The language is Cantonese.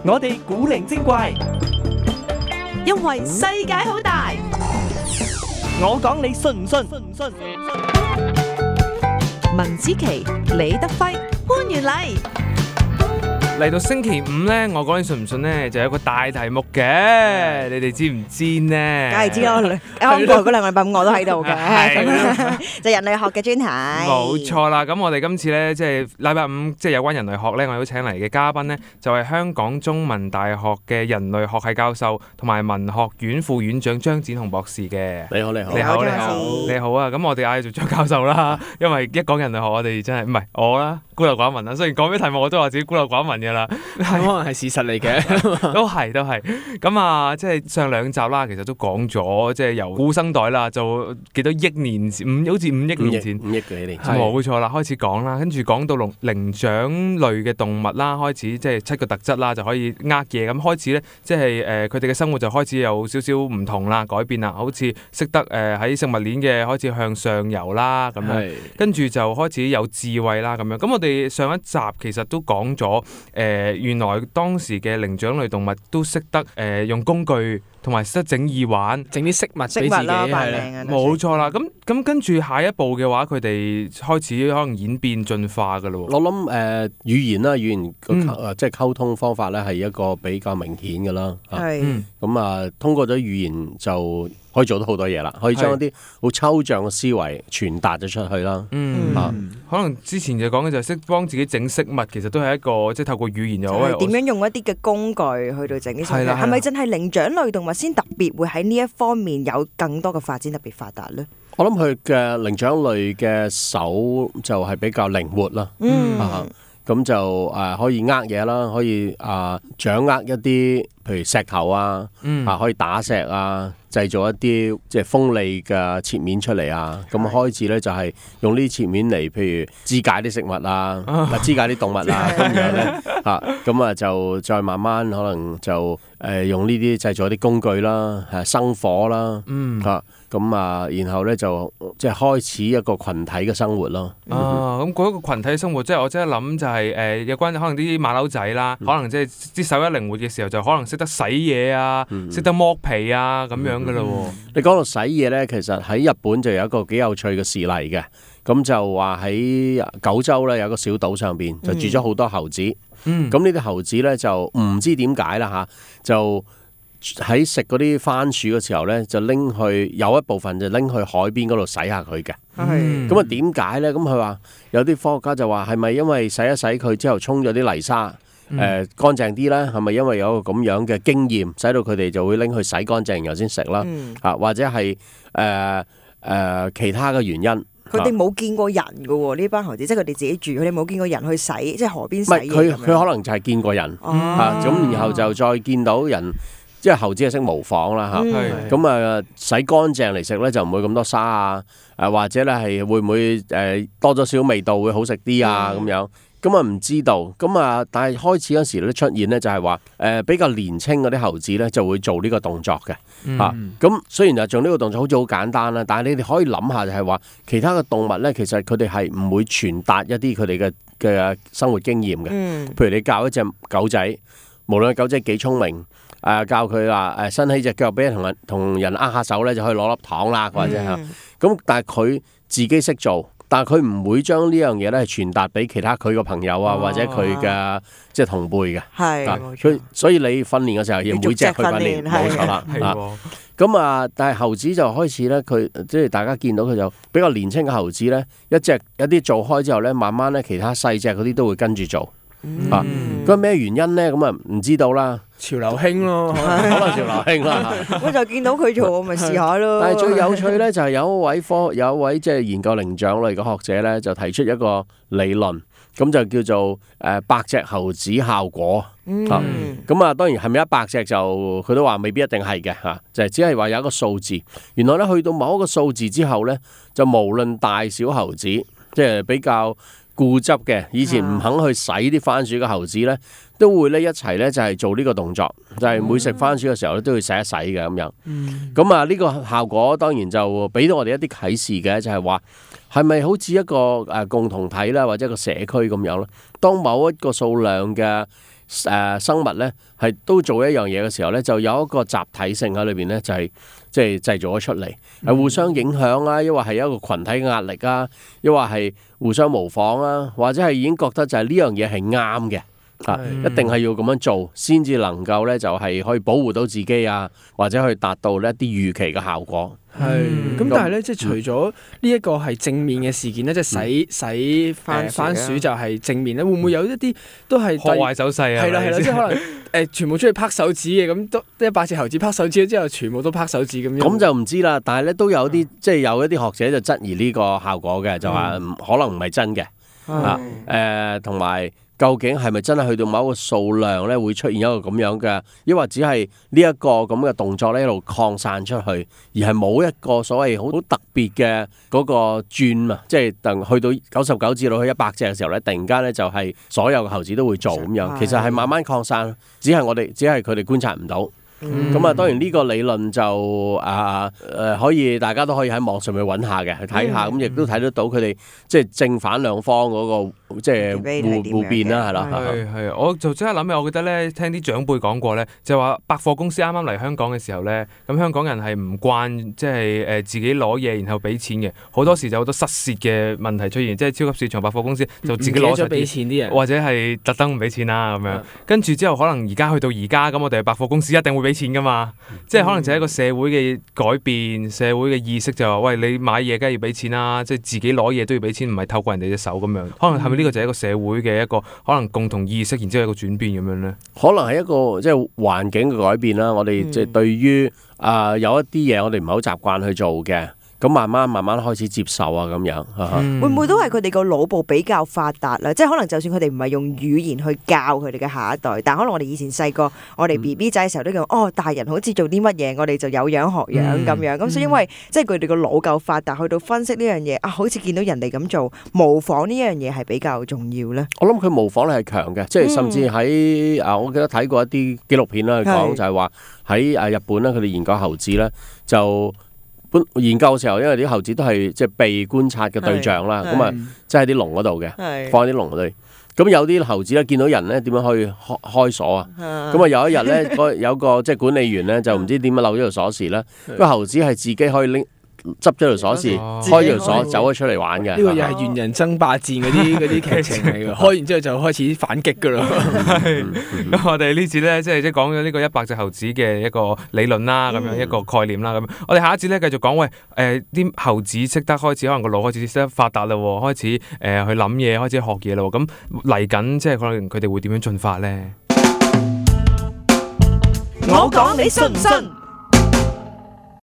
我哋古靈精怪，因為世界好大。我講你信唔信？文子琪、李德輝、潘元禮。嚟到星期五咧，我講你信唔信咧，就有一個大題目嘅，你哋知唔知呢？梗係知咯，啱過嗰兩個禮拜五我都喺度嘅，係就人類學嘅專題。冇錯啦，咁我哋今次咧，即係禮拜五，即係有關人類學咧，我都請嚟嘅嘉賓咧，就係香港中文大學嘅人類學系教授同埋文學院副院長張展鴻博士嘅。你好，你好，你好，你你好好，你好啊！咁我哋嗌做張教授啦，因為一講人類學，我哋真係唔係我啦，孤陋寡聞啦。雖然講咩題目，我都話自己孤陋寡聞嘅啦，可能係事實嚟嘅，都係。咁啊，即係上兩集啦，其實都講咗，即係由古生代啦，就幾多億年前，好似5億年前， 5億幾年，冇錯啦，開始講啦，跟住講到靈長類嘅動物啦，開始即係7個特質啦，就可以嘢咁開始咧，即係佢哋嘅生活就開始有少少唔同啦，改變啦，好似識得喺食物鏈嘅開始向上游啦咁樣，跟住就開始有智慧啦咁樣。咁我哋上一集其實都講咗原來當時嘅靈長類動物都識得用工具，同埋識得整耳環，整啲飾物俾自己，係冇錯啦。咁跟住下一步嘅話，佢哋開始可能演變進化噶咯。我諗語言啦，語言即係溝通方法咧，係一個比較明顯嘅啦。係咁啊，通過咗語言就可以做到好多嘢啦，可以將一啲好抽象嘅思維傳達咗出去啦。可能之前就講嘅就係識幫自己整飾物，其實都係一個即係透過語言又可以點樣用一啲嘅工具去到整啲飾物？係啦係咪真係靈長類動物先特別會喺呢一方面有更多嘅發展，特別發達咧？我諗佢嘅靈長類嘅手就係比較靈活啦。咁就可以嘢啦，可以掌握一啲譬如石頭可以打石製造一啲即係鋒利嘅切面出嚟咁開始咧就係用呢啲切面嚟，譬如肢解啲食物肢解啲動物咁樣咧咁就再慢慢可能就用呢啲製造一啲工具啦，生火啦，然後咧就即係開始一個群體嘅生活咯。咁嗰一個群體生活，即係我即係諗就係有關可能啲馬騮仔啦，可能即係啲手一靈活嘅時候，就可能識得洗嘢識得剝皮咁樣噶啦。你講到洗嘢咧，其實喺日本就有一個幾有趣嘅事例嘅，咁就話喺九州咧有一個小島上邊就住咗好多猴子，咁呢啲猴子咧就唔知點解啦就喺食嗰啲番薯嘅時候咧，就拎去有一部分就拎去海邊嗰度洗下佢嘅。咁點解咧？咁佢話有啲科學家就話係咪因為洗一洗佢之後沖咗啲泥沙乾淨啲咧？係咪因為有一個咁樣嘅經驗，使到佢哋就會拎去洗乾淨然後先食啦？或者係其他嘅原因？佢哋冇見過人㗎喎，呢班猴子，即係佢哋自己住，佢哋冇見過人去洗，即係河邊洗嘢。唔係佢可能就係見過人咁然後就再見到人。即係猴子係識模仿啦咁洗乾淨嚟食咧就唔會咁多沙或者咧係會唔會多咗少味道會好食啲咁樣，咁唔知道，但係開始嗰時咧出現咧就係話比較年輕嗰啲猴子咧就會做呢個動作嘅咁雖然就做呢個動作好似好簡單啦，但係你哋可以諗下就係話其他嘅動物咧其實佢哋係唔會傳達一啲佢哋嘅生活經驗嘅，譬如你教一隻狗仔，無論狗仔幾聰明。教佢話伸起隻腳俾人同人握下手咧，就可以攞粒糖啦，或者咁。但係佢自己識做，但係佢唔會將呢樣嘢咧傳達俾其他佢個朋友或者佢嘅即係同輩嘅。係，所以你訓練嘅時候要每隻去訓練，冇錯啦。咁但係猴子就開始咧，佢即係大家見到佢就比較年輕嘅猴子咧，一啲做開之後咧，慢慢咧其他細隻嗰啲都會跟住做。咁咩原因咧？咁唔知道啦。潮流興咯，可能潮流興啦。我就見到佢做，我咪試下咯。但係最有趣咧，就係有一位即係研究靈長類嘅學者咧，就提出一個理論，咁就叫做百隻猴子效果。咁當然係咪100隻就佢都話未必一定係嘅就係只係話有一個數字。原來咧去到某一個數字之後咧，就無論大小猴子，即係比較固執嘅，以前唔肯去洗啲番薯嘅猴子咧，都會咧一齊咧就係做呢個動作，就係每食番薯嘅時候咧都要洗一洗嘅咁樣。咁呢個效果當然就俾到我哋一啲啟示嘅，就係話係咪好似一個共同體啦，或者一個社區咁樣咧？當某一個數量嘅生物咧係都做一樣嘢嘅時候咧，就有一個集體性喺裏邊咧，就係即係製造咗出嚟，係互相影響啊，抑或係一個群體嘅壓力啊，抑或係互相模仿啊，或者係已經覺得就係呢樣嘢係啱嘅。一定係要咁樣做，先至能夠咧就係可以保護到自己啊，或者去達到呢一啲預期嘅效果。咁但係咧，即係除咗呢一個係正面嘅事件咧，即係洗番薯就係正面咧，會唔會有一啲都係破壞手勢啊？係啦，即係可能全部出去拍手指嘅，咁都100隻猴子拍手指之後，全部都拍手指咁樣。咁就唔知啦，但係咧都有啲即係有一啲學者就質疑呢個效果嘅，就話可能唔係真嘅同埋。究竟係咪真係去到某一個數量咧，會出現一個咁樣嘅，抑或只係呢一個咁嘅動作咧一路擴散出去，而係冇一個所謂好特別嘅嗰個轉啊，即係等去到99至到去100隻嘅時候咧，突然間咧就係所有嘅猴子都會做咁樣，其實係慢慢擴散，只係佢哋觀察唔到。當然呢個理論就可以大家都可以喺網上面揾下嘅，去睇下，咁亦都睇得到佢哋即係正反兩方嗰個即係互辯啦，係啦。係，我就即刻諗起，我記得咧聽啲長輩講過咧，就話百貨公司啱啱嚟香港嘅時候咧，咁香港人係唔慣即係自己攞嘢然後俾錢嘅，好多時就好多失竊嘅問題出現，即係超級市場百貨公司就自己攞咗俾錢啲人，或者係特登唔俾錢啦咁樣，跟住之後可能而家去到而家咁，我哋百貨公司一定會俾錢噶嘛，即係可能就係一個社會嘅改變，社會嘅意識就話喂，你買嘢梗係要俾錢啦，即係自己攞嘢都要俾錢，唔係透過人哋隻手咁樣。可能係咪呢個就係一個社會嘅一個可能共同意識，然之後一個轉變咁樣咧？可能係一個即係環境嘅改變啦。我哋即係對於有一啲嘢我哋唔係好習慣去做嘅。咁慢慢開始接受啊，咁樣會唔會都係佢哋個腦部比較發達啦？即係可能就算佢哋唔係用語言去教佢哋嘅下一代，但可能我哋以前細個，我哋 BB 仔嘅時候都講大人好似做啲乜嘢，我哋就有樣學樣咁樣。咁所以因為即係佢哋個腦夠發達，去到分析呢樣嘢好似見到人哋咁做，模仿呢樣嘢係比較重要咧。我諗佢模仿力係強嘅，即係甚至喺我記得睇過一啲紀錄片啦，講就係話喺日本咧，佢哋研究猴子咧就。研究嘅時候，因為啲猴子都係即係被觀察嘅對象啦，咁即係啲籠嗰度嘅，放喺啲籠嗰度。咁有啲猴子咧見到人咧點樣可以開鎖啊？咁有一日咧，有個即係管理員咧就唔知點樣漏咗條鎖匙啦。個猴子係自己可以執咗條鎖匙，開條鎖走咗出嚟玩嘅。呢個又係猿人爭霸戰嗰啲劇情嚟嘅，開完之後就開始反擊㗎啦。咁我哋呢次咧即係講咗呢個100隻猴子嘅一個理論啦，咁樣一個概念啦。咁我哋下一節咧繼續講，啲猴子識得開始可能個腦開始識得發達啦，開始去諗嘢，開始學嘢啦。咁嚟緊即係可能佢哋會點樣進化咧？我講你信唔信？